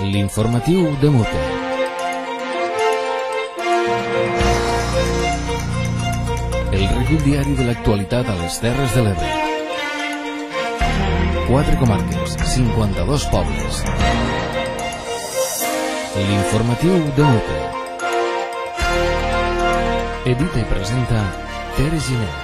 L'informatiu de Mute. El recull diari de l'actualitat a les Terres de l'Ebre. 4 comarques, 52 pobles. L'informatiu de Mute. Edita i presenta Tere Giner.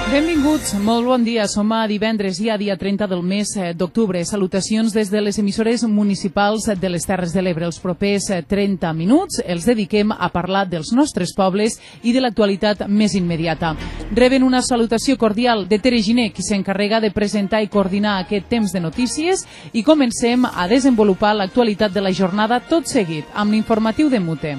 Benvinguts, molt bon dia. Som a divendres, dia 30 del mes d'octubre. Salutacions des de les emissores municipals de les Terres de l'Ebre. Els propers 30 minuts els dediquem a parlar dels nostres pobles i de l'actualitat més immediata. Reben una salutació cordial de Tere Giner, qui s'encarrega de presentar i coordinar aquest temps de notícies, i comencem a desenvolupar l'actualitat de la jornada tot seguit amb l'informatiu de Mute.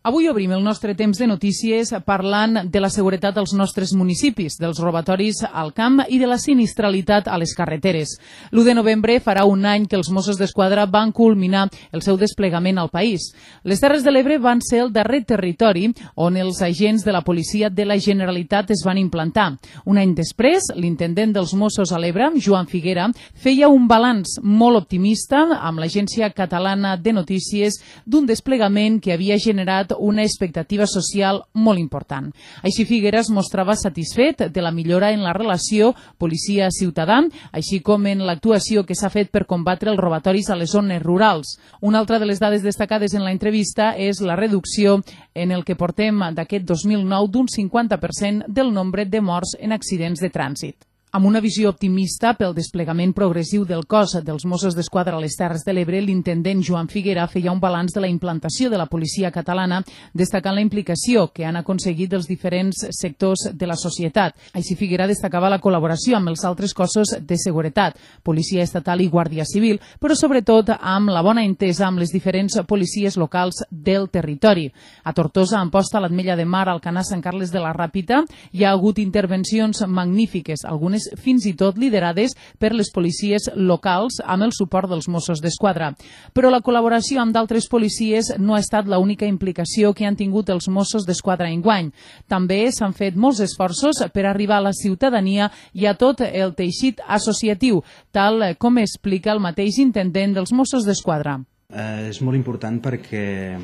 Avui obrim el nostre temps de notícies parlant de la seguretat als nostres municipis, dels robatoris al camp i de la sinistralitat a les carreteres. L'1 de novembre farà un any que els Mossos d'Esquadra van culminar el seu desplegament al país. Les Terres de l'Ebre van ser el darrer territori on els agents de la policia de la Generalitat es van implantar. Un any després, l'intendent dels Mossos a l'Ebre, Joan Figuera, feia un balanç molt optimista amb l'Agència Catalana de Notícies d'un desplegament que havia generat una expectativa social molt important. Així Figuera es mostrava satisfet de la millora en la relació policia-ciutadà, així com en l'actuació que s'ha fet per combatre els robatoris a les zones rurals. Una altra de les dades destacades en la entrevista és la reducció en el que portem d'aquest 2009 d'un 50% del nombre de morts en accidents de trànsit. Amb una visió optimista pel desplegament progressiu del cos dels Mossos d'Esquadra a les Terres de l'Ebre, l'intendent Joan Figuera feia un balanç de la implantació de la policia catalana, destacant la implicació que han aconseguit els diferents sectors de la societat. Així Figuera destacava la col·laboració amb els altres cossos de seguretat, policia estatal i guàrdia civil, però sobretot amb la bona entesa amb les diferents policies locals del territori. A Tortosa, a Amposta, a l'Ametlla de Mar, al Alcanar, Sant Carles de la Ràpita, hi ha hagut intervencions magnífiques, algunes fins i tot liderades per les policies locals amb el suport dels Mossos d'Esquadra. Però la col·laboració amb d'altres policies no ha estat l'única implicació que han tingut els Mossos d'Esquadra enguany. També s'han fet molts esforços per arribar a la ciutadania i a tot el teixit associatiu, tal com explica el mateix intendent dels Mossos d'Esquadra. És molt important perquè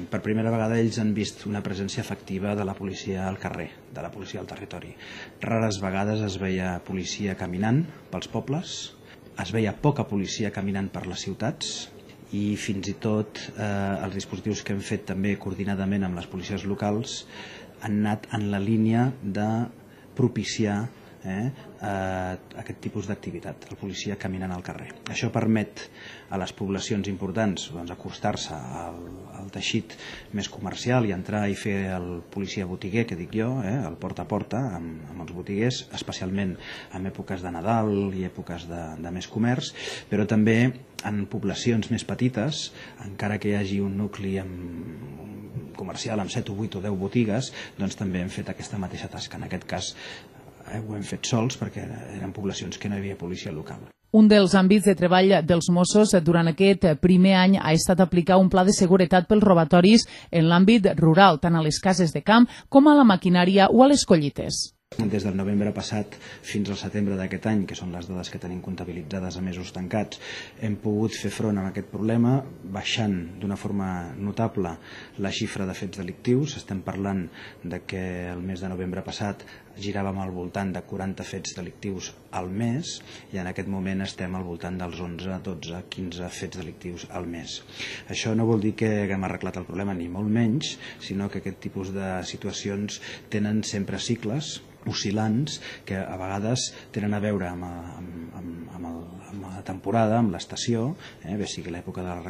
per primera vegada ells han vist una presència efectiva de la policia al carrer, de la policia al territori. Rares vegades es veia policia caminant pels pobles, es veia poca policia caminant per les ciutats i fins i tot els dispositius que hem fet també coordinadament amb les policies locals han anat en la línia de propiciar aquest tipus d'activitat, el policia caminant al carrer. Això permet a les poblacions importants acostar-se al teixit més comercial i entrar i fer el policia botiguer, que dic jo, el porta a porta amb els botiguers, especialment en èpoques de Nadal i èpoques de més comerç, però també en poblacions més petites, encara que hi hagi un nucli comercial amb 7 o 8 o 10 botigues, doncs també hem fet aquesta mateixa tasca. En aquest cas ho hem fet sols perquè eren poblacions que no hi havia policia local. Un dels àmbits de treball dels Mossos durant aquest primer any ha estat aplicar un pla de seguretat pels robatoris en l'àmbit rural, tant a les cases de camp com a la maquinària o a les collites. Des del novembre passat fins al setembre d'aquest any, que són les dades que tenim comptabilitzades a mesos tancats, hem pogut fer front a aquest problema baixant d'una forma notable la xifra de fets delictius. Estem parlant de que el mes de novembre passat giràvem al voltant de 40 fets delictius al mes i en aquest moment estem al voltant dels 11, 12, 15 fets delictius al mes. Això no vol dir que haguem arreglat el problema, ni molt menys, sinó que aquest tipus de situacions tenen sempre cicles oscil·lants que a vegades tenen a veure amb la temporada, amb l'estació, bé sigui l'època de la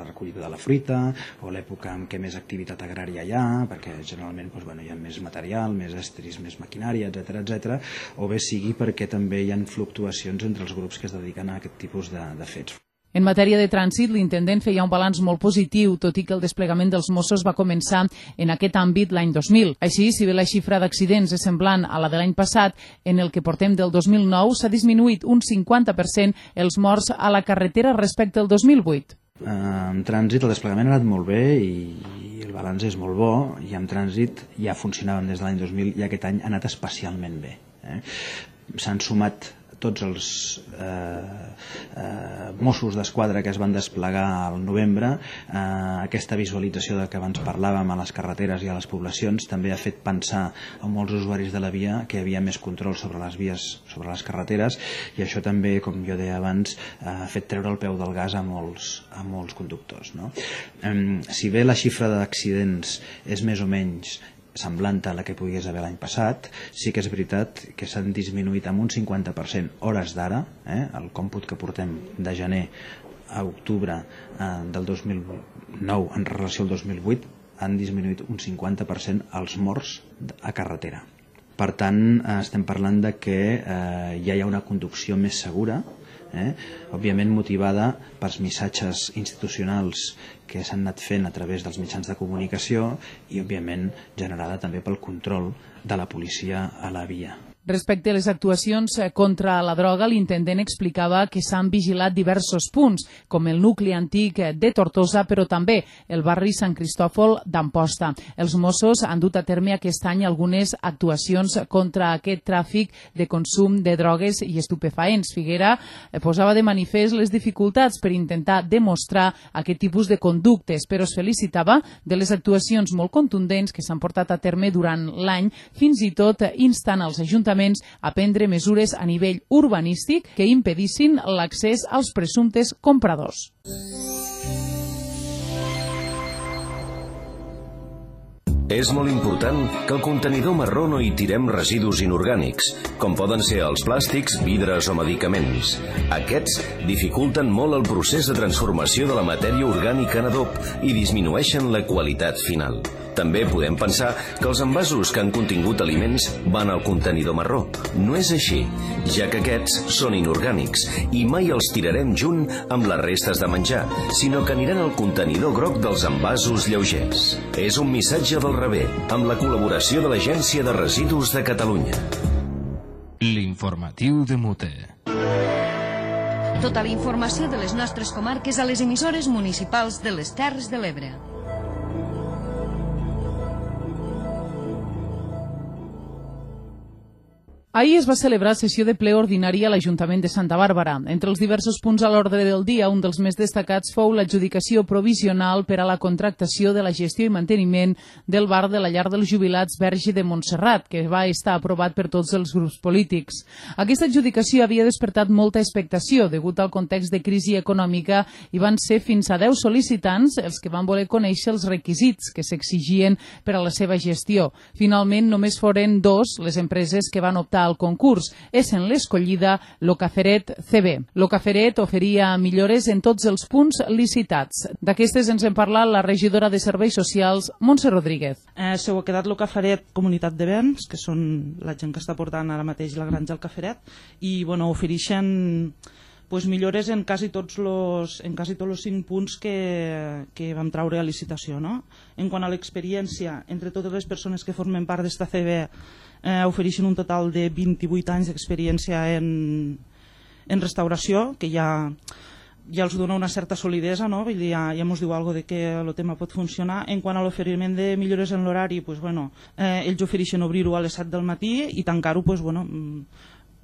recollida de la fruita o l'època en què més activitat agrària hi ha, perquè generalment hi ha més material, més estris, més maquinària, etc., o bé sigui perquè també hi ha fluctuacions entre els grups que es dediquen a aquest tipus de fets. En matèria de trànsit, l'intendent feia un balanç molt positiu, tot i que el desplegament dels Mossos va començar en aquest àmbit l'any 2000. Així, si bé la xifra d'accidents és semblant a la de l'any passat, en el que portem del 2009 s'ha disminuït un 50% els morts a la carretera respecte al 2008. En trànsit el desplegament ha anat molt bé i el balanç és molt bo i amb trànsit ja funcionàvem des de l'any 2000 i aquest any ha anat especialment bé. S'han sumat tots els Mossos d'Esquadra que es van desplegar al novembre. Aquesta visualització de què abans parlàvem a les carreteres i a les poblacions també ha fet pensar a molts usuaris de la via que hi havia més control sobre les vies, sobre les carreteres, i això també, com jo deia abans, ha fet treure el peu del gas a molts conductors, no? Si bé la xifra d'accidents és més o menys semblant a la que pogués haver l'any passat, sí que és veritat que s'han disminuït amb un 50% hores d'ara, el còmput que portem de gener a octubre del 2009 en relació al 2008, han disminuït un 50% els morts a carretera. Per tant, estem parlant de que ja hi ha una conducció més segura, òbviament motivada pels missatges institucionals que s'han anat fent a través dels mitjans de comunicació i òbviament generada també pel control de la policia a la via. Respecte a les actuacions contra la droga, l'intendent explicava que s'han vigilat diversos punts, com el nucli antic de Tortosa, però també el barri Sant Cristòfol d'Amposta. Els Mossos han dut a terme aquest any algunes actuacions contra aquest tràfic de consum de drogues i estupefaents. Figuera posava de manifest les dificultats per intentar demostrar aquest tipus de conductes, però es felicitava de les actuacions molt contundents que s'han portat a terme durant l'any, fins i tot instant als ajuntaments a prendre mesures a nivell urbanístic que impedissin l'accés als presumptes compradors. És molt important que al contenidor marró no hi tirem residus inorgànics, com poden ser els plàstics, vidres o medicaments. Aquests dificulten molt el procés de transformació de la matèria orgànica en adob i disminueixen la qualitat final. També podem pensar que els envasos que han contingut aliments van al contenidor marró. No és així, ja que aquests són inorgànics i mai els tirarem junt amb les restes de menjar, sinó que aniran al contenidor groc dels envasos lleugers. És un missatge del rebé, amb la col·laboració de l'Agència de Residus de Catalunya. L'informatiu de Mute. Tota la informació de les nostres comarques a les emissores municipals de les Terres de l'Ebre. Ahir es va celebrar sessió de ple ordinari a l'Ajuntament de Santa Bàrbara. Entre els diversos punts a l'ordre del dia, un dels més destacats fou l'adjudicació provisional per a la contractació de la gestió i manteniment del bar de la llar dels jubilats Verge de Montserrat, que va estar aprovat per tots els grups polítics. Aquesta adjudicació havia despertat molta expectació degut al context de crisi econòmica i van ser fins a 10 sol·licitants els que van voler conèixer els requisits que s'exigien per a la seva gestió. Finalment, només foren 2 les empreses que van optar al concurs. És en l'escollida Locaferet CB. Locaferet oferia millores en tots els punts licitats. D'aquestes ens en parla la regidora de Serveis Socials, Montse Rodríguez. S'ho ha quedat Locaferet Comunitat de Béns, que són la gent que està portant ara mateix la granja al Caferet, i ofereixen millores en quasi tots els 5 punts que vam treure a licitació. En quant a l'experiència, entre totes les persones que formen part d'esta CB, ofereixen un total de 28 anys d'experiència en restauració, que ja els dona una certa solidesa, no? Ja ens diu alguna cosa de que el tema pot funcionar. En quant a l'oferiment de millores en l'horari, ells ofereixen obrir-ho a les 7 del matí i tancar-ho,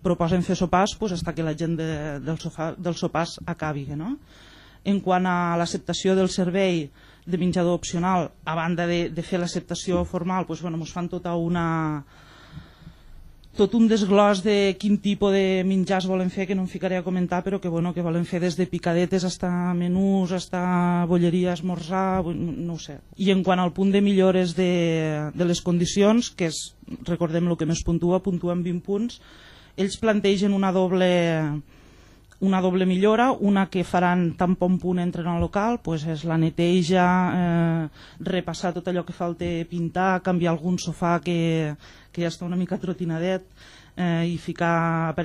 proposen fer sopars fins que la gent dels sopars acabi. En quant a l'acceptació del servei de menjador opcional, a banda de fer l'acceptació formal, ens fan tot un desglòs de quin tipus de menjars volen fer, que no em ficaré a comentar, però que volen fer des de picadetes fins menús, fins bolleria, esmorzar, no ho sé. I en quant al punt de millores de les condicions, que és, recordem el que més puntuen 20 punts, ells plantegen una doble millora, una que faran tan bon punt entren al local, és la neteja, repassar tot allò que falta pintar, canviar algun sofà que ja està una mica trotinadet, i ficar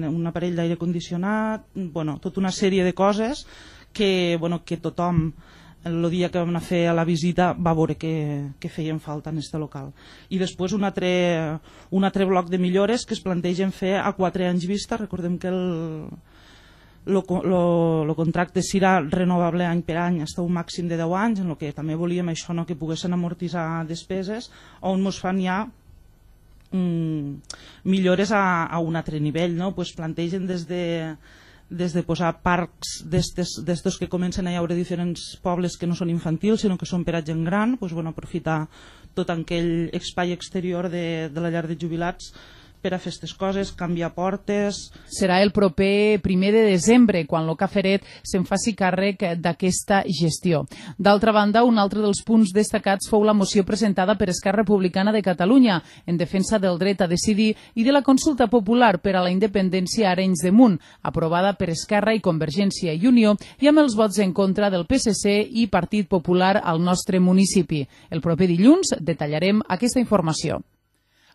un aparell d'aire condicionat, tota una sèrie de coses que tothom el dia que vam anar a fer a la visita va veure que feien falta en aquest local. I després un altre bloc de millores que es plantegen fer a 4 anys vista. Recordem que el contracte serà renovable any per any fins a un màxim de 10 anys, en el que també volíem això, no, que poguessin amortitzar despeses, on ens fan ja millores a un altre nivell, no? Pues plantegen des de posar parcs d'estos que comencen a haure diferents pobles que no són infantils sinó que són per a gent gran, pues, bueno, aprofitar tot aquell espai exterior de la llar de jubilats per a fer aquestes coses, canviar portes. Serà el proper 1 de desembre quan el Caferet se'n faci càrrec d'aquesta gestió. D'altra banda, un altre dels punts destacats fou la moció presentada per Esquerra Republicana de Catalunya en defensa del dret a decidir i de la consulta popular per a la independència a Arenys de Munt, aprovada per Esquerra i Convergència i Unió i amb els vots en contra del PSC i Partit Popular al nostre municipi. El proper dilluns detallarem aquesta informació.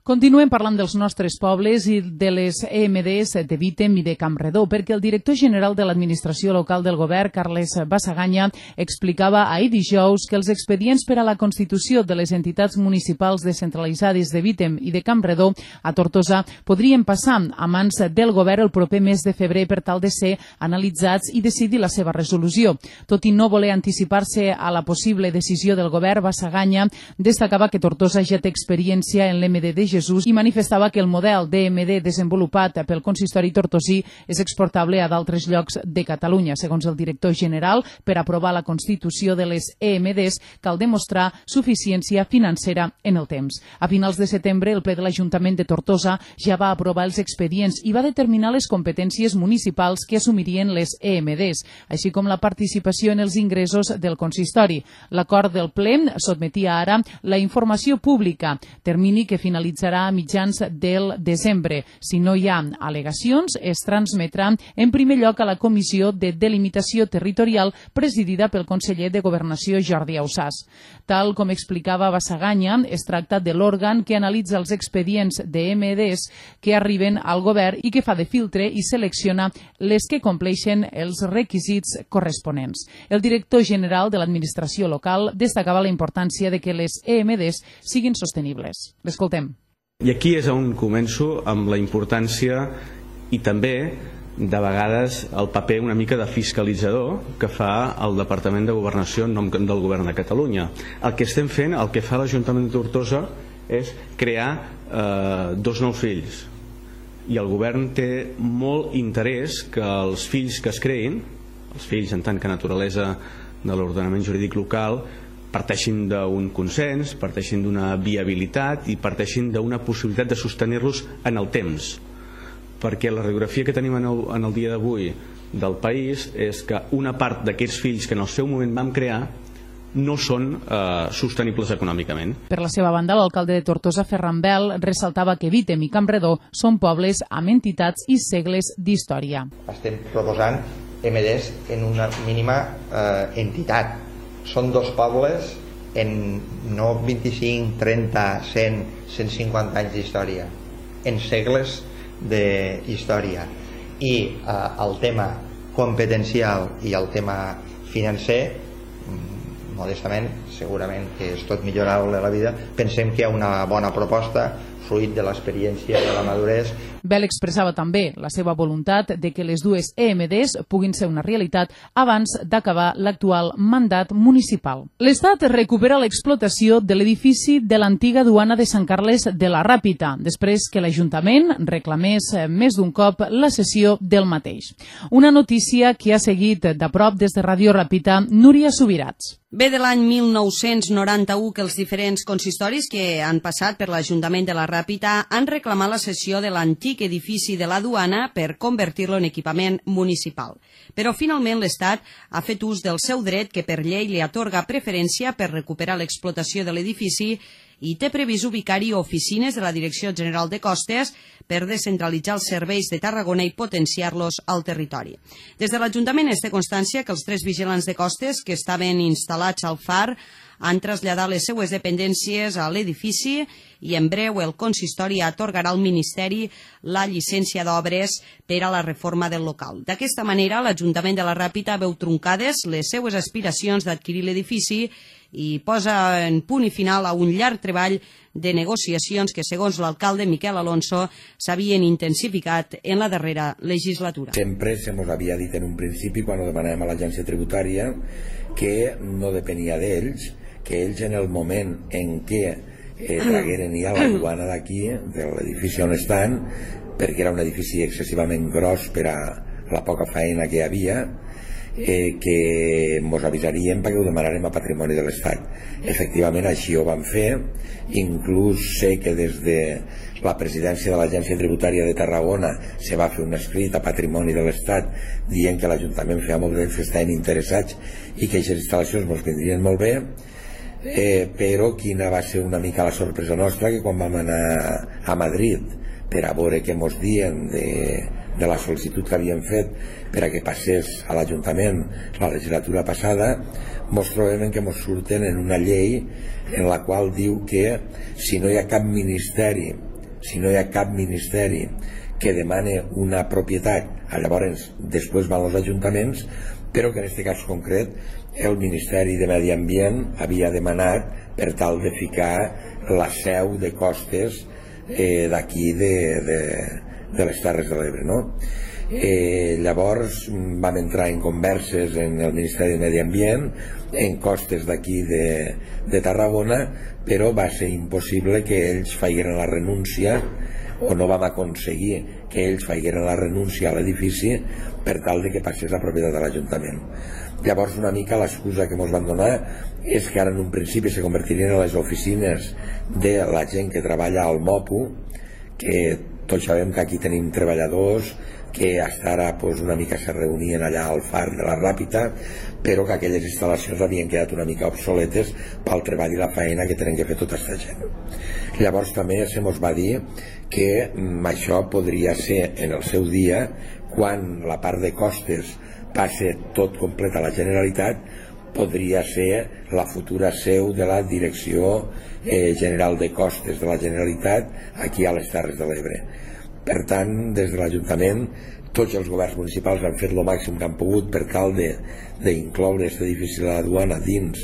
Continuem parlant dels nostres pobles i de les EMDs de Vítem i de Campredó, perquè el director general de l'administració local del govern, Carles Basagaña, explicava ahir dijous que els expedients per a la constitució de les entitats municipals descentralitzades de Vítem i de Campredó a Tortosa podrien passar a mans del govern el proper mes de febrer per tal de ser analitzats i decidir la seva resolució. Tot i no voler anticipar-se a la possible decisió del govern, Basagaña destacava que Tortosa ja té experiència en l'EMD de Jesús i manifestava que el model d'EMD desenvolupat pel consistori tortosí és exportable a d'altres llocs de Catalunya. Segons el director general, per aprovar la constitució de les EMDs cal demostrar suficiència financera en el temps. A finals de setembre, el ple de l'Ajuntament de Tortosa ja va aprovar els expedients i va determinar les competències municipals que assumirien les EMDs, així com la participació en els ingressos del consistori. L'acord del ple sotmetia ara la informació pública, termini que finalitzarà a mitjans del desembre. Si no hi ha al·legacions, es transmetrà en primer lloc a la Comissió de Delimitació Territorial presidida pel conseller de Governació Jordi Ausàs. Tal com explicava Basagaña, es tracta de l'òrgan que analitza els expedients d'EMDs que arriben al govern i que fa de filtre i selecciona les que compleixen els requisits corresponents. El director general de l'administració local destacava la importància de que les EMDs siguin sostenibles. L'escoltem. I aquí és on començo amb la importància i també de vegades el paper una mica de fiscalitzador que fa el Departament de Governació en nom del Govern de Catalunya. El que estem fent, el que fa l'Ajuntament de Tortosa és crear 2 nous fills i el govern té molt interès que els fills que es creïn, els fills en tant que naturalesa de l'ordenament jurídic local, parteixin d'un consens, parteixin d'una viabilitat i parteixin d'una possibilitat de sostenir-los en el temps, perquè la radiografia que tenim en el dia d'avui del país és que una part d'aquests fills que en el seu moment vam crear no són sostenibles econòmicament. Per la seva banda, l'alcalde de Tortosa, Ferran Bel, ressaltava que Vítem i Campredó són pobles amb entitats i segles d'història. Estem proposant EMDs en una mínima entitat. Són 2 pobles en no 25, 30, 100, 150 anys d'història, en segles d'història. I el tema competencial i el tema financer, modestament, segurament que és tot millorable a la vida, pensem que hi ha una bona proposta fruit de l'experiència i de la maduresa. Bel expressava també la seva voluntat de que les 2 EMDs puguin ser una realitat abans d'acabar l'actual mandat municipal. L'Estat recupera l'explotació de l'edifici de l'antiga duana de Sant Carles de la Ràpita, després que l'Ajuntament reclamés més d'un cop la cessió del mateix. Una notícia que ha seguit de prop des de Ràdio Ràpita Núria Subirats. Ve de l'any 1991 que els diferents consistoris que han passat per l'Ajuntament de la Ràpita han reclamat la cessió de l'antic edifici de la duana per convertir-lo en equipament municipal. Però finalment l'Estat ha fet ús del seu dret que per llei li atorga preferència per recuperar l'explotació de l'edifici i té previst ubicar-hi oficines de la Direcció General de Costes per descentralitzar els serveis de Tarragona i potenciar-los al territori. Des de l'Ajuntament es té constància que els 3 vigilants de costes que estaven instal·lats al far han traslladat les seues dependències a l'edifici i en breu el consistori atorgarà al Ministeri la llicència d'obres per a la reforma del local. D'aquesta manera, l'Ajuntament de la Ràpita veu truncades les seues aspiracions d'adquirir l'edifici i posa en punt i final a un llarg treball de negociacions que, segons l'alcalde Miquel Alonso, s'havien intensificat en la darrera legislatura. Sempre se nos havia dit en un principi, quan ho demanàvem a l'agència tributària, que no depenia d'ells, que ells en el moment en què tragueren ja la duana d'aquí, de l'edifici on estan, perquè era un edifici excessivament gros per a la poca feina que hi havia, que ens avisaríem perquè ho demanarem a Patrimoni de l'Estat. Efectivament, així ho van fer. Inclús sé que des de la presidència de l'Agència Tributària de Tarragona se va fer un escrit a Patrimoni de l'Estat dient que l'Ajuntament feia molt bé, que estaven interessats i que aquestes instal·lacions ens vindrien molt bé, però quina va ser una mica la sorpresa nostra, que quan vam anar a Madrid per a veure què ens dien de la sol·licitud que havien fet per a que passés a l'Ajuntament la legislatura passada, ens trobem que ens surten en una llei en la qual diu que si no hi ha cap ministeri que demane una propietat, llavors després van els ajuntaments, però que en aquest cas concret el Ministeri de Medi Ambient havia demanat per tal de ficar la seu de costes d'aquí de les Terres de l'Ebre, no? Llavors vam entrar en converses en el Ministeri de Medi Ambient, en costes d'aquí de Tarragona, però va ser impossible que ells feien la renúncia, o no vam aconseguir que ells feien la renúncia a l'edifici per tal de que passés a propietat de l'Ajuntament. Llavors una mica l'excusa que ens van donar és que ara en un principi se convertirien a les oficines de la gent que treballa al MOPU, que tots sabem que aquí tenim treballadors que hasta ara una mica se reunien allà al far de la Ràpita, però que aquelles instal·lacions havien quedat una mica obsoletes pel treball i la feina que tenen que fer tota aquesta gent. Llavors també se mos va dir que això podria ser en el seu dia, quan la part de costes passe tot complet a la Generalitat, podria ser la futura seu de la Direcció General de Costes de la Generalitat aquí a les Terres de l'Ebre. Per tant, des de l'Ajuntament, tots els governs municipals han fet el màxim que han pogut per tal d'incloure aquest edifici de la duana dins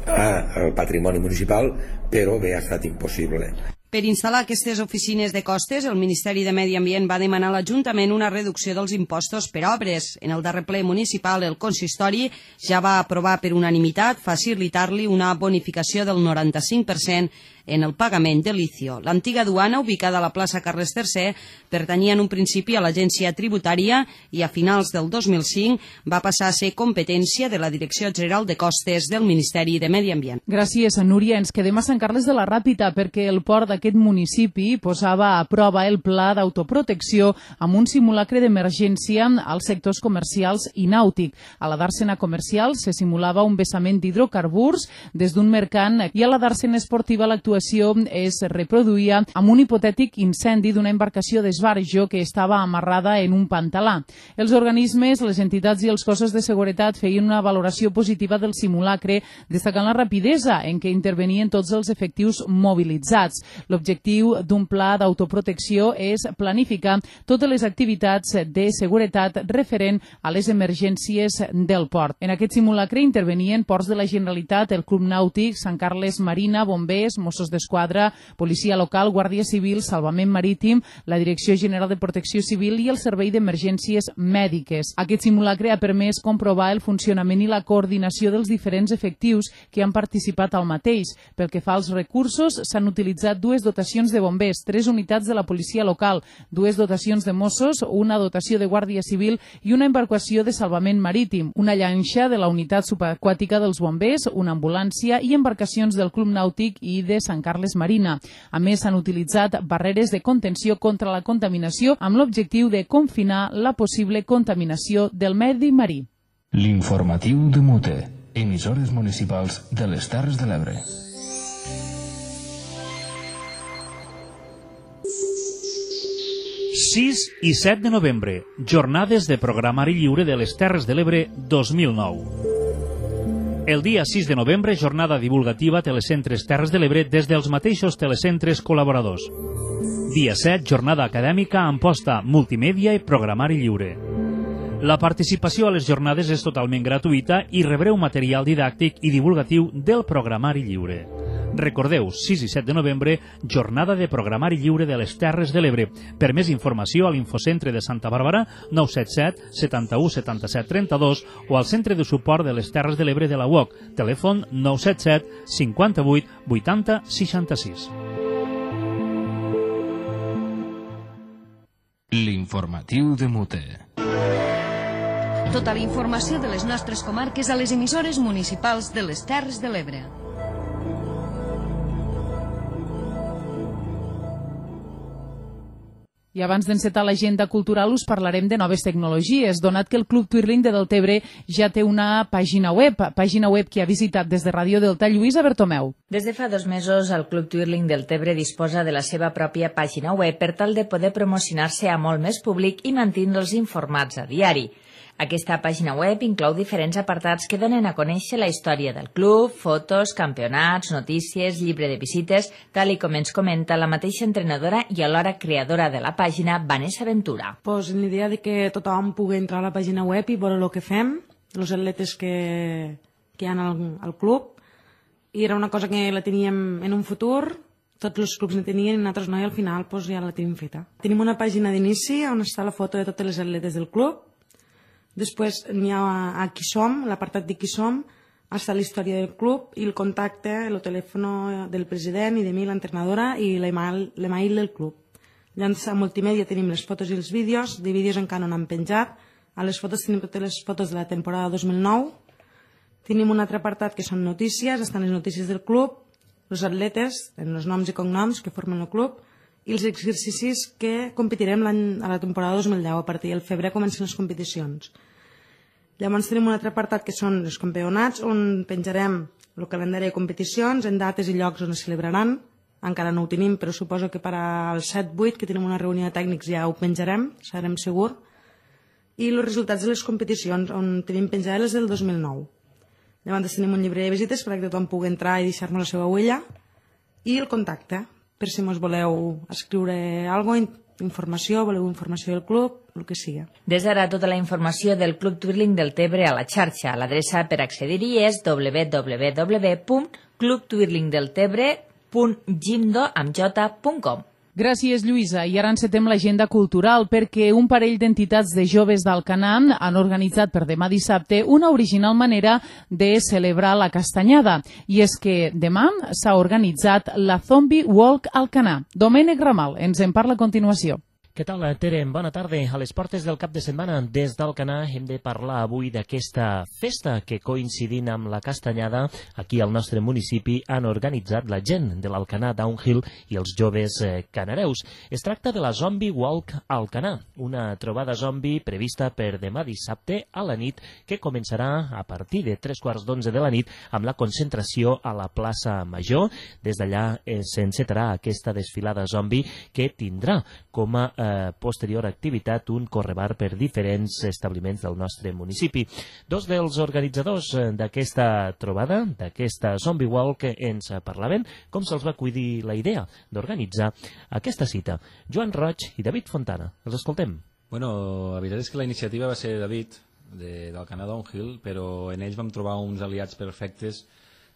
el patrimoni municipal, però bé, ha estat impossible. Per instal·lar aquestes oficines de costes, el Ministeri de Medi Ambient va demanar a l'Ajuntament una reducció dels impostos per obres. En el darrer ple municipal, el consistori ja va aprovar per unanimitat facilitar-li una bonificació del 95% en el pagament de l'ICIO. L'antiga duana, ubicada a la plaça Carles III, pertanyia en un principi a l'Agència Tributària i a finals del 2005 va passar a ser competència de la Direcció General de Costes del Ministeri de Medi Ambient. Gràcies, Núria. Ens quedem a Sant Carles de la Ràpita perquè el port d'aquest municipi posava a prova el pla d'autoprotecció amb un simulacre d'emergència als sectors comercials i nàutic. A la dàrsena comercial se simulava un vessament d'hidrocarburs des d'un mercant i a la dàrsena esportiva l'actuació es reproduïa amb un hipotètic incendi d'una embarcació d'esbarjo que estava amarrada en un pantalà. Els organismes, les entitats i els cossos de seguretat feien una valoració positiva del simulacre, destacant la rapidesa en què intervenien tots els efectius mobilitzats. L'objectiu d'un pla d'autoprotecció és planificar totes les activitats de seguretat referent a les emergències del port. En aquest simulacre intervenien ports de la Generalitat, el Club Nàutic, Sant Carles Marina, bombers, Mossos d'Esquadra, Policia Local, Guàrdia Civil, Salvament Marítim, la Direcció General de Protecció Civil i el Servei d'Emergències Mèdiques. Aquest simulacre ha permès comprovar el funcionament i la coordinació dels diferents efectius que han participat al mateix. Pel que fa als recursos, s'han utilitzat 2 dotacions de bombers, 3 unitats de la Policia Local, 2 dotacions de Mossos, una dotació de Guàrdia Civil i una embarcació de salvament marítim, una llanxa de la unitat subaquàtica dels bombers, una ambulància i embarcacions del Club Nàutic i de Sant Carles Marina. A més, s'han utilitzat barreres de contenció contra la contaminació amb l'objectiu de confinar la possible contaminació del medi marí. L'informatiu de Mute, emissores municipals de les Terres de l'Ebre. ...6 i 7 de novembre, jornades de programari lliure de les Terres de l'Ebre 2009. El dia 6 de novembre, jornada divulgativa Telecentres Terres de l'Ebre des dels mateixos telecentres col·laboradors. Dia 7, jornada acadèmica amb posta multimèdia i programari lliure. La participació a les jornades és totalment gratuïta i rebreu material didàctic i divulgatiu del programari lliure. Recordeu, 6 i 7 de novembre, jornada de programari lliure de les Terres de l'Ebre. Per més informació a l'Infocentre de Santa Bàrbara, 977 71 77 32 o al Centre de Suport de les Terres de l'Ebre de la UOC, telèfon 977 58 80 66. L'informatiu de Mute. Tota la informació de les nostres comarques a les emissores municipals de les Terres de l'Ebre. I abans d'encetar l'agenda cultural us parlarem de noves tecnologies, donat que el Club Twirling de Deltebre ja té una pàgina web que ha visitat des de Ràdio Delta Lluïsa Bertomeu. Des de fa 2 mesos, el Club Twirling Deltebre disposa de la seva pròpia pàgina web per tal de poder promocionar-se a molt més públic i mantindre'ls informats a diari. Aquesta pàgina web inclou diferents apartats que donen a conèixer la història del club, fotos, campionats, notícies, llibre de visites, tal i com ens comenta la mateixa entrenadora i alhora creadora de la pàgina, Vanessa Ventura. Pues l'idea de que tothom pugui entrar a la pàgina web i veure el que fem, els atletes que hi ha al club, i era una cosa que la teníem en un futur, tots els clubs la tenien i nosaltres no, i al final pues, ja la tenim feta. Tenim una pàgina d'inici on està la foto de totes les atletes del club. Després n'hi ha a Qui Som, l'apartat de Qui Som, està la història del club i el contacte, el telèfon del president i de mi, l'entrenadora, i l'email del club. Llavors a multimèdia tenim les fotos i els vídeos, de vídeos encara no n'han penjat, a les fotos tenim totes les fotos de la temporada 2009, tenim un altre apartat que són notícies, estan les notícies del club, els atletes, els noms i cognoms que formen el club, i els exercicis que competirem a la temporada 2010, a partir del febrer comencen les competicions. Llavors tenim un altre apartat que són els campionats, on penjarem el calendari de competicions, en dates i llocs on es celebraran. Encara no ho tenim, però suposo que per al 7-8, que tenim una reunió de tècnics, ja ho penjarem, serem segur. I els resultats de les competicions, on tenim penjades del 2009. Llavors tenim un llibre de visites perquè tothom pugui entrar i deixar-nos la seva huella. I el contacte, per si mos voleu escriure alguna cosa, informació, voleu informació del club, el que sigui. Des d'ara tota la informació del Club Twirling Deltebre a la xarxa. L'adreça per accedir-hi és www.clubtwirlingdeltebre.jimdo.com. Gràcies, Lluïsa. I ara encetem l'agenda cultural perquè un parell d'entitats de joves d'Alcanar han organitzat per demà dissabte una original manera de celebrar la castanyada. I és que demà s'ha organitzat la Zombie Walk Alcanar. Domènec Ramal ens en parla a continuació. Què tal, Tere? Bona tarda. A les portes del cap de setmana des d'Alcanar hem de parlar avui d'aquesta festa que, coincidint amb la castanyada, aquí al nostre municipi han organitzat la gent de l'Alcanar Downhill i els joves canareus. Es tracta de la Zombie Walk Alcanar, una trobada zombi prevista per demà dissabte a la nit que començarà a partir de 3:15 de la nit amb la concentració a la plaça Major. Des d'allà s'encetarà aquesta desfilada zombi que tindrà com a posterior activitat un correbar per diferents establiments del nostre municipi. Dos dels organitzadors d'aquesta trobada, d'aquesta Zombie Walk, ens parlaven com se'ls va acudir la idea d'organitzar aquesta cita. Joan Roig i David Fontana. Els escoltem. Bueno, la veritat és que la iniciativa va ser de David, del Canadà Downhill, però en ells vam trobar uns aliats perfectes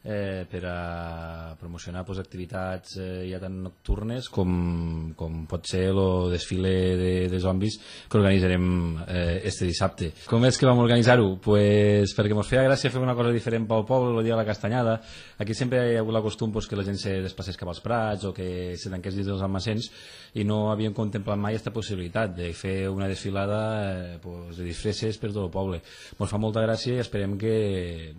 per a promocionar activitats ja tan nocturnes com pot ser el desfile de zombis que organitzarem este dissabte. Com és que vam organitzar-ho? Pues perquè ens feia gràcia fer una cosa diferent pel poble el dia de la castanyada. Aquí sempre hi ha hagut el costum que la gent se desplacés cap als prats o que se tanqués dins dels almacens i no havíem contemplat mai aquesta possibilitat de fer una desfilada de disfresses per tot el poble. Ens fa molta gràcia i esperem que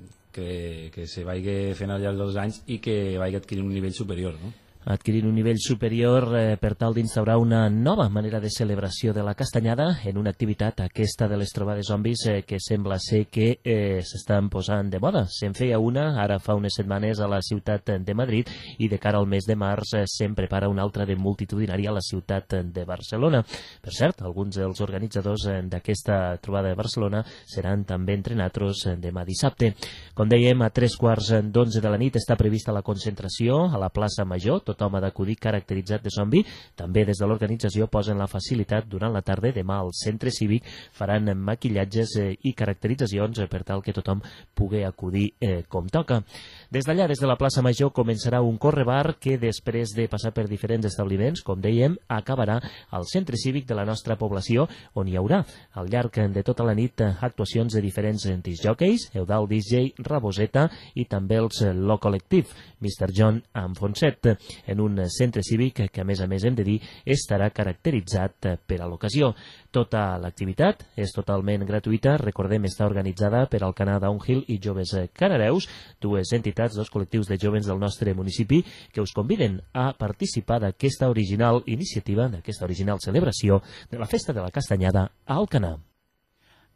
se vagi fent al llarg dels anys i que vagi adquirint un nivell superior, no? adquirint un nivell superior per tal d'instaurar una nova manera de celebració de la castanyada en una activitat, aquesta de les trobades zombis, que sembla ser que s'estan posant de moda. Se'n feia una ara fa unes setmanes a la ciutat de Madrid i de cara al mes de març se'n prepara una altra de multitudinària a la ciutat de Barcelona. Per cert, alguns dels organitzadors d'aquesta trobada de Barcelona seran també entre nosaltres demà dissabte. Com dèiem, a 11:15 de la nit està prevista la concentració a la plaça Major. Tothom ha d'acudir caracteritzat de zombi. També des de l'organització posen la facilitat durant la tarda. Demà al centre cívic faran maquillatges i caracteritzacions per tal que tothom pugui acudir com toca. Des d'allà, des de la plaça Major, començarà un correbar que després de passar per diferents establiments, com dèiem, acabarà al centre cívic de la nostra població, on hi haurà al llarg de tota la nit actuacions de diferents discjòqueis, Eudald DJ, Raboseta i també els Lo Collective, Mr. John amb Fonset, en un centre cívic que, a més hem de dir, estarà caracteritzat per a l'ocasió. Tota l'activitat és totalment gratuïta, recordem, està organitzada per Alcanar Downhill i Joves Canareus, dues entitats, dos col·lectius de joves del nostre municipi que us conviden a participar d'aquesta original iniciativa, d'aquesta original celebració de la Festa de la Castanyada a Alcanar.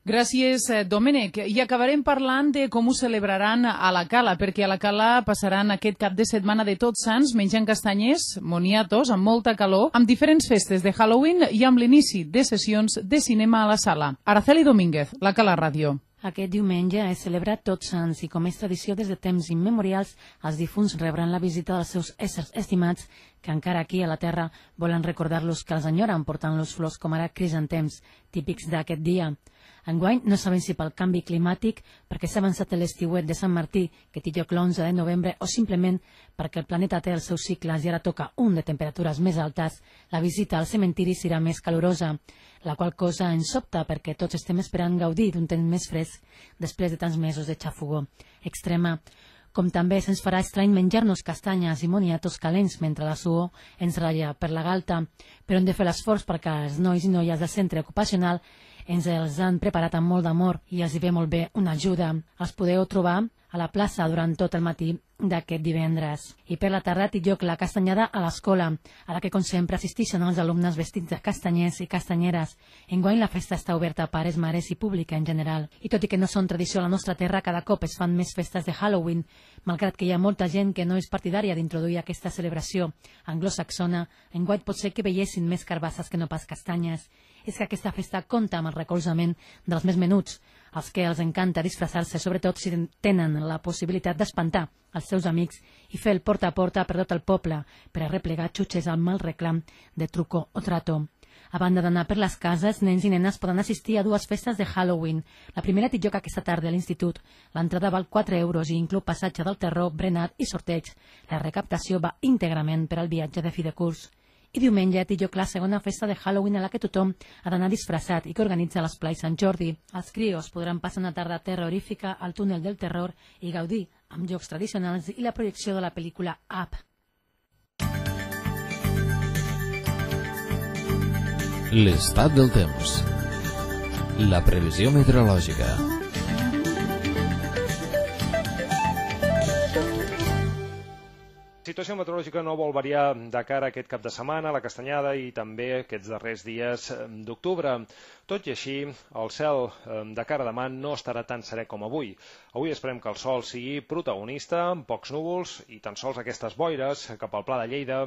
Gràcies, Domènec. I acabarem parlant de com ho celebraran a la Cala, perquè a la Cala passaran aquest cap de setmana de Tots Sants menjant castanyers, moniatos, amb molta calor, amb diferents festes de Halloween i amb l'inici de sessions de cinema a la sala. Araceli Domínguez, la Cala Ràdio. Aquest diumenge és celebrat Tots Sants i, com és tradició des de temps immemorials, els difunts rebran la visita dels seus éssers estimats que encara aquí a la Terra volen recordar-los que els enyoren portant-los flors com ara crisantems, típics d'aquest dia. Enguany no sabem si pel canvi climàtic, perquè s'ha avançat l'estiuet de Sant Martí, que té lloc l'11 de novembre, o simplement perquè el planeta té els seus cicles i ara toca un de temperatures més altes, la visita al cementiri serà més calorosa, la qual cosa ens sobta perquè tots estem esperant gaudir d'un temps més fresc després de tants mesos de xafogor extrema. Com també se'ns farà estrany menjar-nos castanyes i moniatos calents mentre la suor ens ratlla per la galta, però hem de fer l'esforç perquè els nois i noies del centre ocupacional ens els han preparat amb molt d'amor i els hi ve molt bé una ajuda. Els podeu trobar a la plaça durant tot el matí d'aquest divendres. I per la tarda té lloc la castanyada a l'escola, a la que com sempre assisteixen els alumnes vestits de castanyers i castanyeres. Enguany la festa està oberta a pares, mares i pública en general. I tot i que no són tradició a la nostra terra, cada cop es fan més festes de Halloween, malgrat que hi ha molta gent que no és partidària d'introduir aquesta celebració anglosaxona. Enguany pot ser que veiessin més carbasses que no pas castanyes. És que aquesta festa compta amb el recolzament dels més menuts, als que els encanta disfressar-se, sobretot si tenen la possibilitat d'espantar els seus amics i fer el porta a porta per tot el poble per a replegar xutxes al mal reclam de truco o trato. A banda d'anar per les cases, nens i nenes poden assistir a dues festes de Halloween. La primera té lloc aquesta tarda a l'institut. L'entrada val 4 euros i inclou passatge del terror, berenar i sorteig. La recaptació va íntegrament per al viatge de fi de curs. I diumenge té lloc la segona festa de Halloween a la que tothom ha d'anar disfressat i que organitza l'Esplai Sant Jordi. Els crios podran passar una tarda terrorífica al túnel del terror i gaudir amb jocs tradicionals i la projecció de la pel·lícula Up. L'estat del temps. La previsió meteorològica. La situació meteorològica no vol variar de cara a aquest cap de setmana, la castanyada i també aquests darrers dies d'octubre. Tot i així, el cel de cara a demà no estarà tan serè com avui. Avui esperem que el sol sigui protagonista, amb pocs núvols i tan sols aquestes boires cap al Pla de Lleida,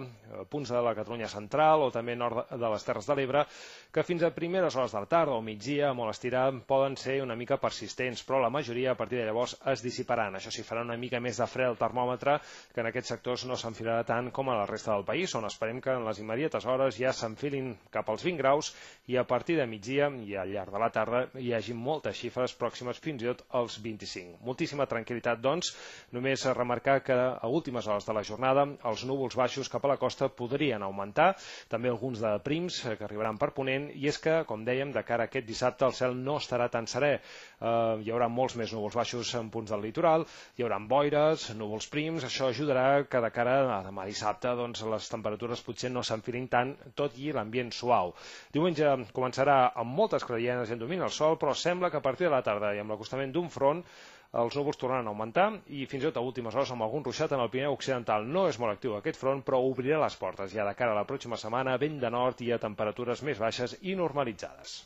punts de la Catalunya central o també nord de les Terres de l'Ebre, que fins a primeres hores de la tarda o migdia, molt estirar, poden ser una mica persistents, però la majoria a partir de llavors es dissiparan. Això sí, farà una mica més de fred el termòmetre, que en aquests sectors no s'enfilarà tant com a la resta del país, on esperem que en les immediates hores ja s'enfilin cap als 20 graus i a partir de migdia i al llarg de la tarda hi hagi moltes xifres pròximes fins i tot als 25. Moltíssima tranquil·litat, doncs, només remarcar que a últimes hores de la jornada els núvols baixos cap a la costa podrien augmentar, també alguns de prims que arribaran per ponent, i és que, com dèiem, de cara a aquest dissabte el cel no estarà tan serè. Hi haurà molts més núvols baixos en punts del litoral, hi haurà boires, núvols prims, això ajudarà que de cara a demà dissabte doncs, les temperatures potser no s'enfilin tant, tot i l'ambient suau. Diumenge començarà amb moltes clarianes i en domini el sol, però sembla que a partir de la tarda i amb l'acostament d'un front els núvols tornaran a augmentar i fins i tot a últimes hores amb algun ruixat en el Pirineu Occidental. No és molt actiu aquest front, però obrirà les portes ja de cara a la pròxima setmana, vent de nord i a temperatures més baixes i normalitzades.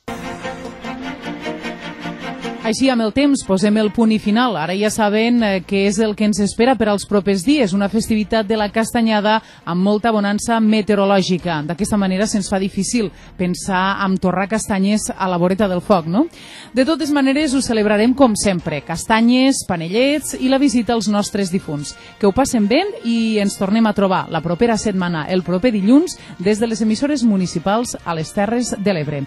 Així, amb el temps, posem el punt i final. Ara ja saben què és el que ens espera per als propers dies, una festivitat de la Castanyada amb molta bonança meteorològica. D'aquesta manera se'ns fa difícil pensar en torrar castanyes a la voreta del foc, no? De totes maneres, ho celebrarem com sempre. Castanyes, panellets i la visita als nostres difunts. Que ho passen bé i ens tornem a trobar la propera setmana, el proper dilluns, des de les emissores municipals a les Terres de l'Ebre.